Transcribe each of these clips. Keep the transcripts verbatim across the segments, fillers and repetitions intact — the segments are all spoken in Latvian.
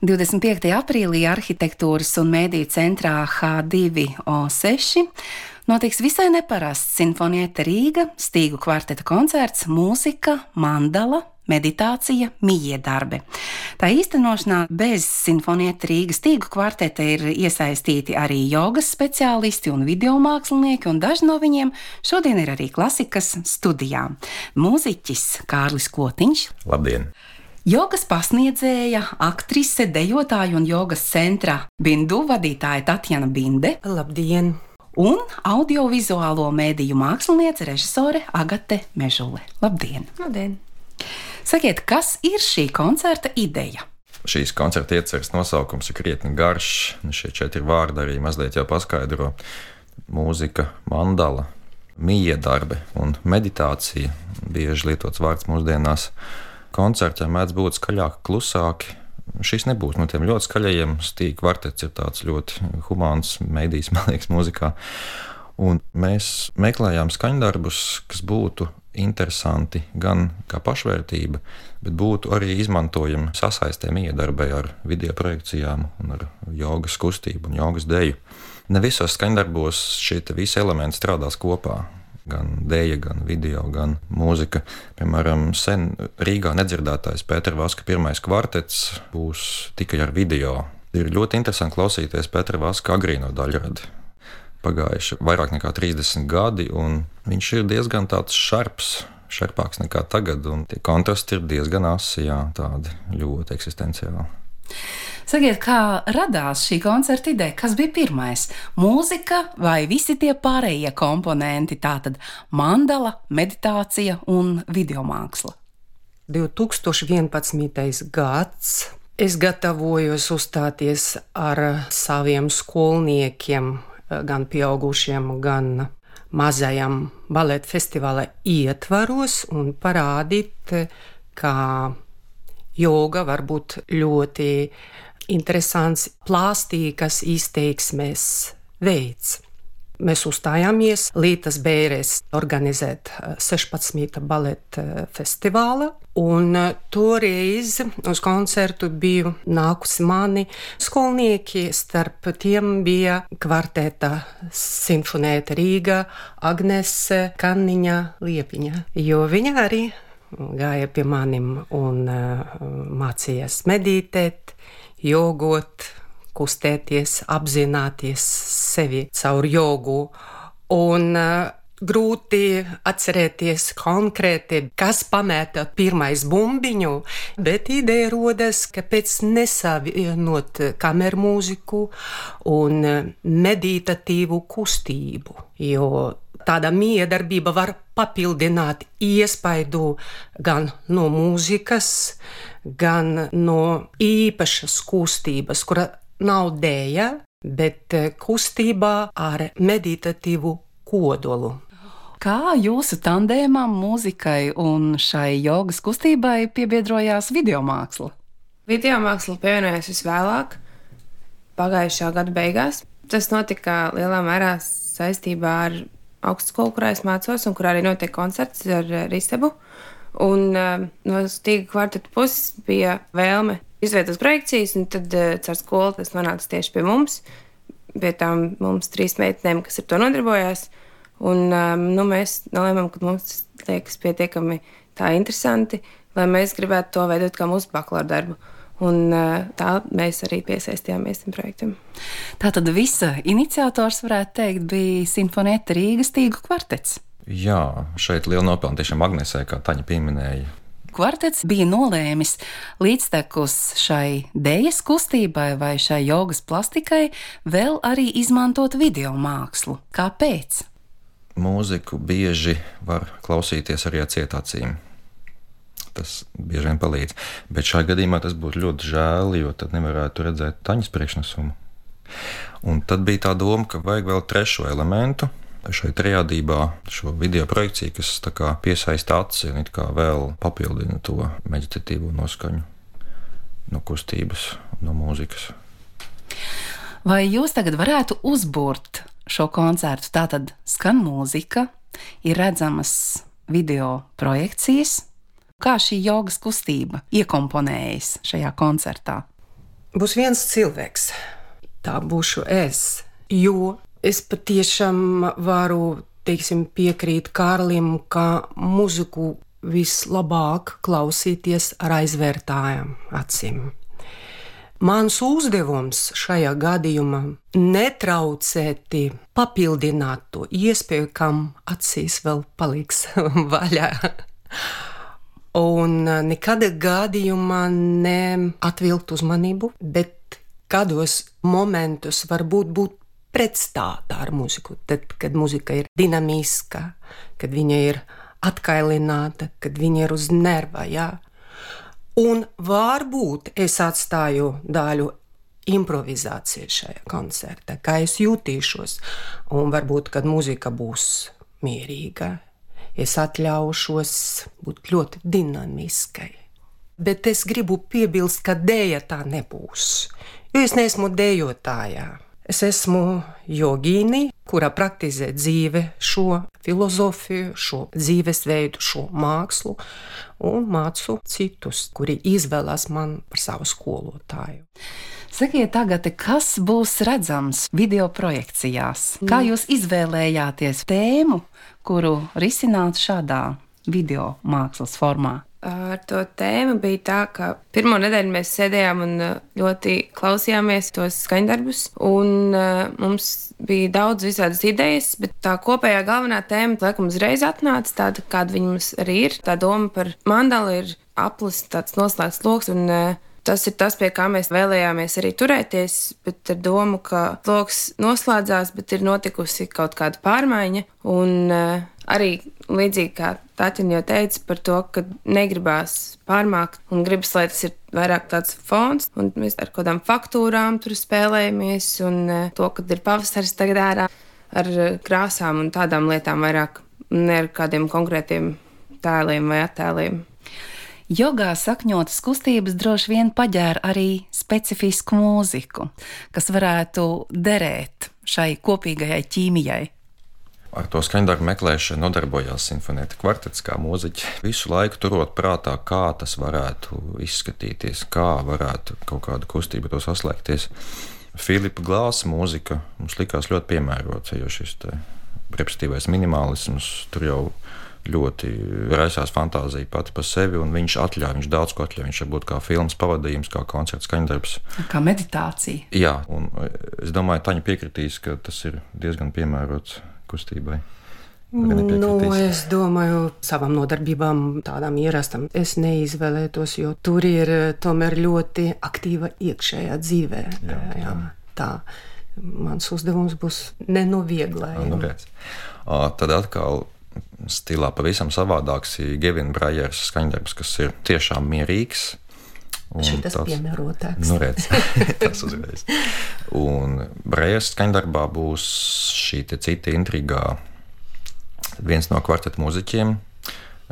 divdesmit piektajā aprīlī Arhitektūras un mēdīju centrā H divi O seši notiks visai neparasts Sinfonietta Rīga stīgu kvarteta koncerts Mūzika, mandala, meditācija, miedarbe. Tā īstenošanā bez Sinfonietta Rīga stīgu kvarteta ir iesaistīti arī jogas speciālisti un videomākslinieki, un daži no viņiem šodien ir arī klasikas studijā. Mūziķis Kārlis Kotiņš. Labdien! Jogas pasniedzēja, aktrise, dejotāja un jogas centra Bindu vadītāja Tatjana Binde. Labdien! Un audiovizuālo mēdīju māksliniece, režisore Agate Mežule. Labdien! Labdien! Sakiet, kas ir šī koncerta ideja? Šīs koncerta ieceres nosaukums ir krietni garš. Šie četri vārdi arī mazliet jau paskaidro. Mūzika, mandala, miedarbe un meditācija. Bieži lietots vārds mūsdienās. Koncertā mēdz būt skaļāki, klusāki. Šis nebūs no tiem ļoti skaļajiem. Stīgu kvartets ir tāds ļoti humāns mēdījis, man liekas, mūzikā. Un mēs meklējām skaņdarbus, kas būtu interesanti gan kā pašvērtība, bet būtu arī izmantojami sasaistē miedarbai ar video projekcijām un ar jogas kustību un jogas deju. Ne visos skaņdarbos šie visi elementi strādās kopā. Gan dēja, gan video, gan mūzika. Piemēram, sen Rīgā nedzirdētais Pētera Vaska pirmais kvartets būs tikai ar video. Ir ļoti interesanti klausīties Pētera Vaska agrīno daļradi. Pagājuši vairāk nekā trīsdesmit gadi, un viņš ir diezgan tāds šarps, šarpāks nekā tagad, un tie kontrasti ir diezgan asi, jā, tādi ļoti eksistenciāli. Sakiet, kā radās šī koncerta ideja? Kas bija pirmais? Mūzika vai visi tie pārējie komponenti, tātad mandala, meditācija un videomāksla? divtūkstoš vienpadsmitais gads. Es gatavojos uzstāties ar saviem skolniekiem, gan pieaugušiem, gan mazajam baleta festivāla ietvaros un parādīt, kā joga var būt ļoti interesants, plāstīgas izteiksmes veids. Mēs uzstājāmies Lītas Bērēs organizēt sešpadsmita baleta festivāla, un toreiz uz koncertu biju nākusi mani skolnieki, starp tiem bija kvarteta Sinfonietta Rīga Agnese Kanniņa Liepiņa, jo viņa arī gāja pie manim un uh, mācījās meditēt, jogot, kustēties, apzināties sevi caur jogu. Un uh, grūti atcerēties konkrēti, kas pamēta pirmais bumbiņu, bet ideja rodas, kāpēc nesavienot kameru mūziku un meditatīvu kustību, jo tāda miedarbība var papildināt iespaidu gan no mūzikas, gan no īpašas kustības, kura nav dēja, bet kustībā ar meditatīvu kodolu. Kā jūsu tandēmam, mūzikai un šai jogas kustībai piebiedrojās videomāksla? Videomāksla pievienojās visvēlāk, pagājušā gada beigās. Tas notika lielā mērā saistībā ar augstskolu, kurā es mācos un kurā arī notiek koncerts ar Risebu. Un uh, no stīga kvarteta puses bija vēlme izveidot projekcijas, un tad uh, caur skolu tas nonāca tieši pie mums, pie tām mums trīs meitenēm, kas ar to nodarbojās. Un um, nu, mēs nolēmām, ka mums tas liekas pietiekami tā interesanti, lai mēs gribētu to veidot kā mūsu bakalaura darbu. Un tā mēs arī piesaistījāmies tam projektam. Tātad visa iniciators, varētu teikt, bija Sinfonietta Rīga stīgu kvartets. Jā, šeit liela nopelna tiešām Agnesē, kā Taņa pieminēja. Kvartets bija nolēmis līdztekus šai dējas kustībai vai šai jogas plastikai vēl arī izmantot video mākslu. Kāpēc? Mūziku bieži var klausīties arī ar cietācīm. Tas bieži vien palīdz. Bet šajā gadījumā tas būtu ļoti žēl, jo tad nevarētu redzēt Taņas priekšnesumu. Un tad bija tā doma, ka vajag vēl trešo elementu šai triādībā, šo video projekciju, kas tā kā piesaista aci un it kā vēl papildina to meditatīvo noskaņu no kustības, no mūzikas. Vai jūs tagad varētu uzbūrt šo koncertu? Tātad skan mūzika, ir redzamas video projekcijas. Kā šī jogas kustība iekomponējas šajā koncertā? būs viens cilvēks. Tā būšu es, jo es patiešām varu, teiksim, piekrīt Kārlim, ka muziku vislabāk klausīties ar aizvērtājām acīm. Mans uzdevums šajā gadījumā netraucēti papildināt to iespēju, kam acīs vēl paliks vaļā. Un nekādā gadījumā neatvilkt uzmanību, bet kādos momentos varbūt būt pretstātā ar muziku. Tad, kad muzika ir dinamiska, kad viņa ir atkailināta, kad viņa ir uz nerva, jā. Un varbūt es atstāju daļu improvizāciju šajā koncertā, kā es jutīšos. Un varbūt, kad muzika būs mierīga, es atļaušos būt ļoti dinamiskai. Bet es gribu piebilst, ka dēja tā nebūs, jo es neesmu dējotāja. Es esmu jogīni, kura praktizē dzīve šo filozofiju, šo dzīvesveidu, šo mākslu, un mācu citus, kuri izvēlas man par savu skolotāju. Sakiet tagad, kas būs redzams video projekcijās? Kā jūs izvēlējāties tēmu, kuru risināt šādā video mākslas formā? Ar to tēmu bija tā, ka pirmo nedēļu mēs sēdējām un ļoti klausījāmies tos skaņdarbus, un mums bija daudz visādas idejas, bet tā kopējā galvenā tēma, laikam, uzreiz atnāca tāda, kāda viņa mums arī ir. Tā doma par mandalu ir aplis, tāds noslēgts loks, un tas ir tas, pie kā mēs vēlējāmies arī turēties, bet ar domu, ka loks noslēdzās, bet ir notikusi kaut kāda pārmaiņa, un arī līdzīgi kā Taķina jau teica par to, ka negribās pārmākt un gribas, lai tas ir vairāk tāds fons, un mēs ar kādām faktūrām tur spēlējamies, un to, kad ir pavasaris tagad ārā ar krāsām un tādām lietām vairāk, ne ar kādiem konkrētiem tēliem vai attēliem. Jogā sakņotas kustības droši vien paģēra arī specifisku mūziku, kas varētu derēt šai kopīgajai ķīmijai. Ar to skaņdarbu meklēšanu nodarbojās simfonieta kvartets kā mūziķi. Visu laiku turot prātā, kā tas varētu izskatīties, kā varētu kaut kāda kustība to saslēgties. Filipa Glāsa mūzika mums likās ļoti piemērota, jo šis repetitīvais minimālisms tur jau ļoti raisās fantāzija pati par sevi, un viņš atļauj, viņš daudz ko atļauj. Viņš var būt kā filmas pavadījums, kā koncerts skaņdarbs. Kā meditācija. Jā, un es domāju, Taņa piekritīs, ka tas ir diezgan piemērots kustībai. Nu, es domāju, savām nodarbībām tādām ierastām es neizvēlētos, jo tur ir tomēr ļoti aktīva iekšējā dzīvē. Jā, jā, tā. Mans uzdevums būs nenovieglējumi. Nu, redz. Tad atkal stilā pavisam savādāks ir Gevina Brajers skaņdarbs, kas ir tiešām mierīgs. Šitas piemērotāks. Nu, redz, tas uzreiz. Un Brajers skaņdarbā būs šī te cita intrigā. Viens no kvarteta mūziķiem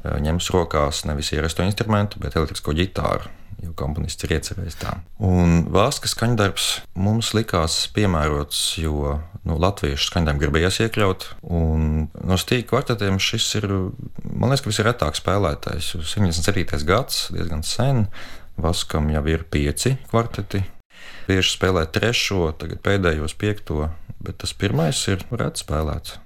ņems rokās nevis ierasto instrumentu, bet elektrisko ģitāru, jo komponists ir iecerējis tā. Un Vāska skaņdarbs mums likās piemērots, jo nu, latviešu skaņdarbu gribējās iekļaut, un no stīga kvartetiem šis ir, man liekas, ka visretāk spēlētais. septiņdesmit septītais gads, diezgan sen. Vaskam jau ir pieci kvarteti. Bieži spēlē trešo, tagad pēdējos piekto, bet tas pirmais ir reti spēlēts.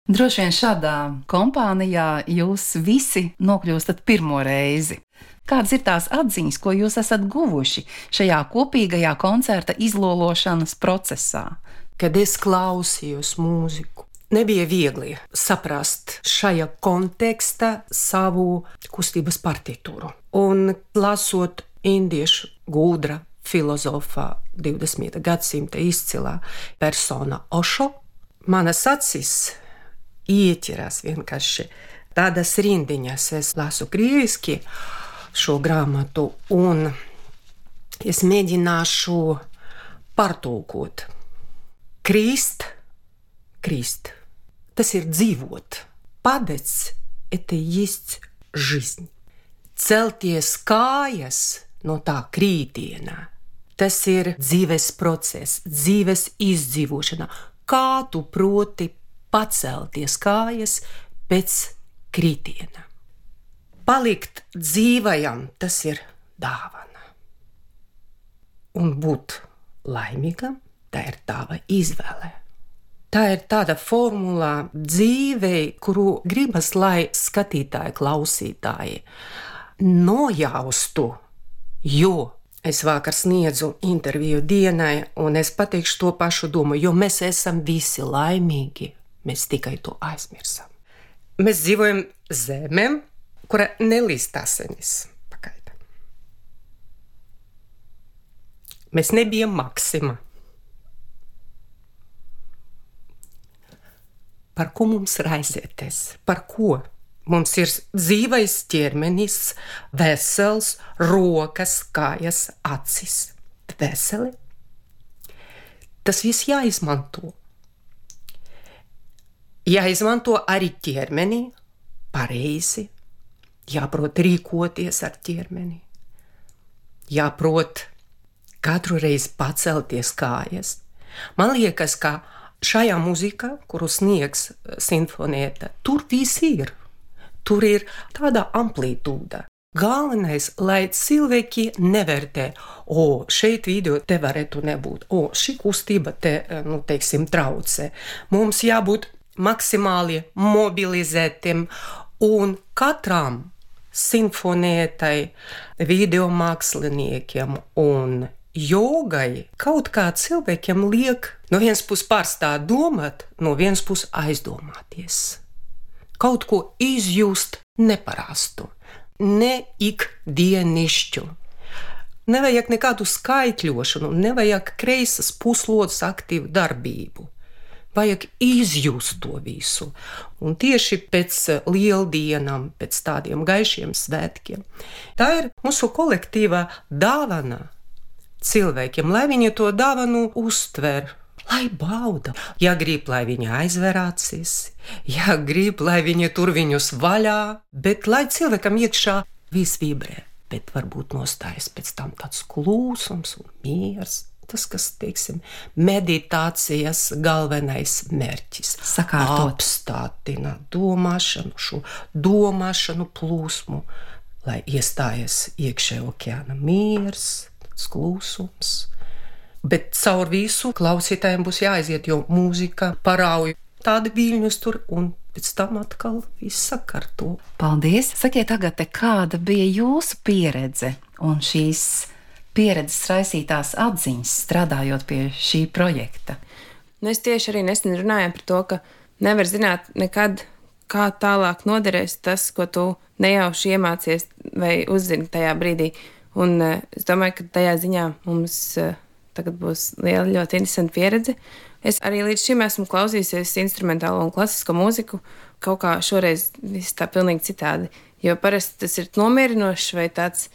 Droši vien šādā kompānijā jūs visi nokļūstat pirmo reizi. Kādas ir tās atziņas, ko jūs esat guvuši šajā kopīgajā koncerta izlološanas procesā? Kad es klausījos mūziku, nebija viegli saprast šajā kontekstā savu kustības partitūru. Un lasot indiešu gudra filozofā divdesmitā gadsimta izcilā persona Ošo, manas acis ieķerās vienkārši tādas rindiņas. Es lasu krieviski šo grāmatu, un es mēģināšu pārtulkot. Krist, krist. Tas ir dzīvot. Падать – это есть жизнь. Celties kājas no tā krītienā. Tas ir dzīves process, dzīves izdzīvošana. Kā tu proti pacelties kājas pēc krītiena. Palikt dzīvajam, tas ir dāvana. un būt laimīgam, tā ir tava izvēle. Tā ir tāda formula dzīvei, kuru gribas, lai skatītāji, klausītāji nojaustu, jo es vakar sniedzu interviju Dienai, un es pateikšu to pašu domu, jo mēs esam visi laimīgi, mēs tikai to aizmirsam. Mēs dzīvojam zemē, kura nelīst asinis. Pagaida. Mēs nebijam Maksima. Par ko mums raizēties? Par ko? Mums ir dzīvais ķermenis, vesels, rokas, kājas, acis. Veseli. Tas viss jāizmanto. Jāizmanto arī ķermeni pareizi, jāprot rīkoties ar ķermeni, jāprot katru reizi pacelties kājas. Man liekas, ka šajā mūzikā, kuru sniegs Sinfonieta, tur viss ir. Tur ir tāda amplitūda. Galvenais, lai cilvēki nevērtē, o, šeit video te varētu nebūt, o, šī kustība te, nu, teiksim, traucē. Mums jābūt maksimāli mobilizētiem, un katram Sinfonietai, video māksliniekiem un jogai kaut kā cilvēkiem liek no vienas puses pārstāt domāt, no vienas puses aizdomāties. Kaut ko izjust neparastu, ne ikdienišķu. Nevajag nekādu skaitļošanu, nevajag kreisas puslodes aktīvu darbību. Vajag izjust to visu. Un tieši pēc lieldienām, pēc tādiem gaišiem svētkiem. Tā ir mūsu kolektīvā dāvana cilvēkiem, lai viņi to dāvanu uztver, lai bauda. Ja grib, lai viņi aizver acis, ja grib, lai viņi tur viņus vaļā, bet lai cilvēkam iekšā viss vibrē, bet varbūt nostājas pēc tam tāds klusums un miers. Tas, kas, teiksim, meditācijas galvenais mērķis. Sakārtot. Apstātina domāšanu, šo domāšanu plūsmu, lai iestājas iekšē okeāna miers, klusums. Bet caur visu klausītājiem būs jāaiziet, jo mūzika parauj tādi viļņus tur, un pēc tam atkal viss sakārto. Paldies! Sakiet, Agate, kāda bija jūsu pieredze un šīs pieredzes raisītās atziņas strādājot pie šī projekta? Nu, es tieši arī nesen runāju par to, ka nevar zināt nekad, kā tālāk noderēs tas, ko tu nejauši iemācies vai uzzini tajā brīdī. Un uh, es domāju, ka tajā ziņā mums uh, tagad būs liela, ļoti interesanta pieredze. Es arī līdz šim esmu klausījusies instrumentālo un klasisko mūziku, kaut kā šoreiz viss tā pilnīgi citādi, jo parasti tas ir nomierinošs vai tāds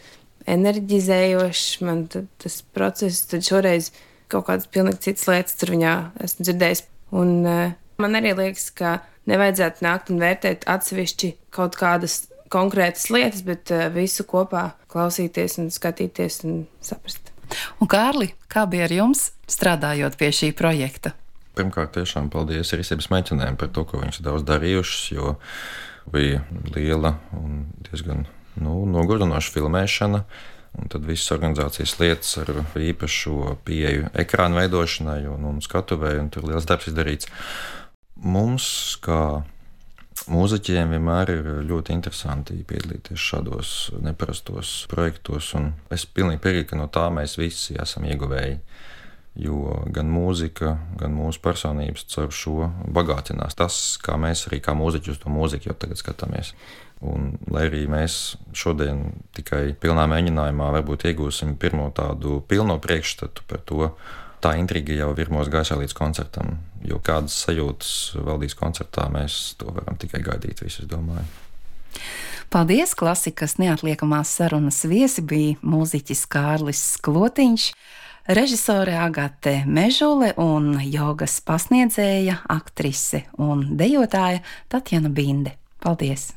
enerģizējošs, man tas process, tad šoreiz kaut kādas pilnīgi citas lietas tur viņā esmu dzirdējis. Un uh, man arī liekas, ka nevajadzētu nākt un vērtēt atsevišķi kaut kādas konkrētas lietas, bet uh, visu kopā klausīties un skatīties un saprast. Un Kārli, kā bija ar jums strādājot pie šī projekta? Pirmkārt, tiešām paldies Rīsības meitenēm par to, ko viņas daudz darījušas, jo bija liela un diezgan nu, nogurdinoša filmēšana, un tad visas organizācijas lietas ar īpašu pieeju ekrānu veidošanai un, un skatuvēju, un tur liels darbs izdarīts. Mums, kā mūziķiem, vienmēr ir ļoti interesanti piedalīties šādos neparastos projektos, un es pilnīgi piekrītu, ka no tā mēs visi esam ieguvēji. Jo gan mūzika, gan mūsu personības caur šo bagātinās tas, kā mēs arī kā mūziķi uz to mūziku jau tagad skatāmies. Un, lai arī mēs šodien tikai pilnā mēģinājumā varbūt iegūsim pirmo tādu pilno priekšstatu par to, tā intriga jau virmos gaisā līdz koncertam, jo kādas sajūtas valdīs koncertā, mēs to varam tikai gaidīt, visu es domāju. Paldies! Klasikas neatliekamās sarunas viesi bija mūziķis Kārlis Sklotiņš, režisore Agate Mežule un jogas pasniedzēja, aktrise un dejotāja Tatjana Binde. Paldies!